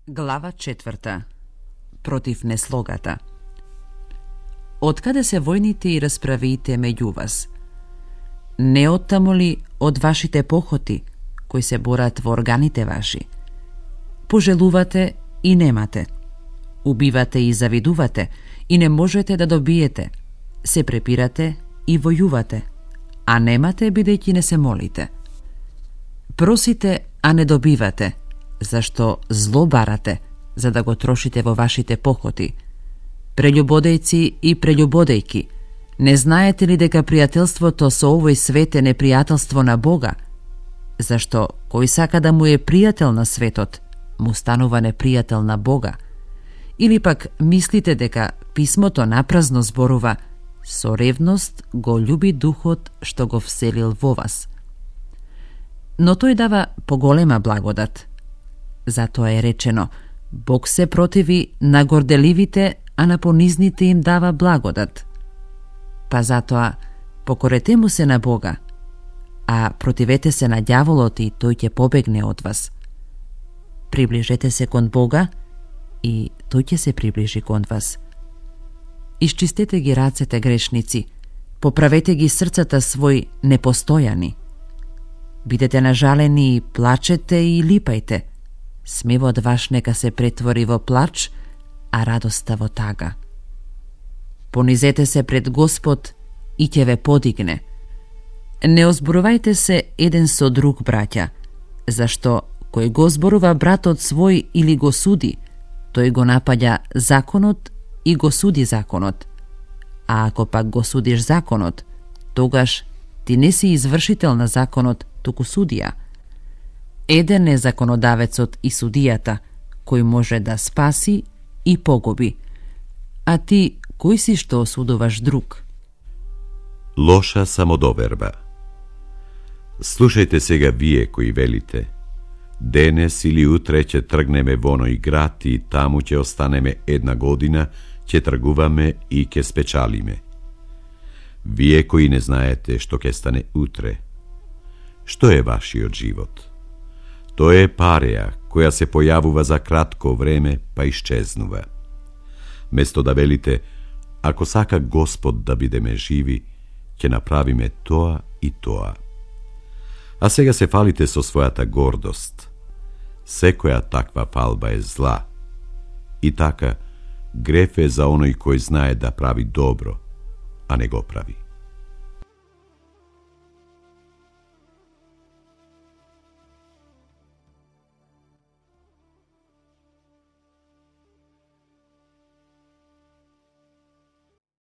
Глава 4. Против неслогата. Откаде се војните и расправиите меѓу вас? Не оттамо ли од вашите похоти, кои се борат во органите ваши? Пожелувате и немате. Убивате и завидувате и не можете да добиете. Се препирате и војувате, а немате бидејќи не се молите. Просите, а не добивате, зашто зло барате, за да го трошите во вашите похоти. Прељубодејци и прељубодејки, не знаете ли дека пријателството со овој свет е непријателство на Бога? Зашто кој сака да му е пријател на светот, му станува непријател на Бога? Или пак мислите дека писмото напразно зборува: со ревност го љуби духот што го вселил во вас? Но тој дава поголема благодат. Затоа е речено: Бог се противи на горделивите, а на понизните им дава благодат. Па затоа покорете му се на Бога, а противете се на ѓаволот и тој ќе побегне од вас. Приближете се кон Бога и тој ќе се приближи кон вас. Исчистете ги рацете грешници, поправете ги срцата свој непостојани. Бидете нажалени и плачете и липајте. Смевот ваш нека се претвори во плач, а радоста во тага. Понизете се пред Господ и ќе ве подигне. Не озборувајте се еден со друг, браќа, зашто кој го зборува братот свој или го суди, тој го напаѓа законот и го суди законот. А ако пак го судиш законот, тогаш ти не си извршител на законот, туку судија. Еден е законодавецот и судијата, кој може да спаси и погуби. А ти, кој си што осудуваш друг? Лоша самодоверба. Слушајте сега вие кои велите: денес или утре ќе тргнеме во оној град и таму ќе останеме една година, ќе тргуваме и ќе спечалиме. Вие кои не знаете што ќе стане утре. Што е вашиот живот? Тоа е пареја која се појавува за кратко време, па исчезнува. Место да велите: ако сака Господ да бидеме живи, ќе направиме тоа и тоа. А сега се фалите со својата гордост. Секоја таква фалба е зла. И така, греф е за оној кој знае да прави добро, а не го прави.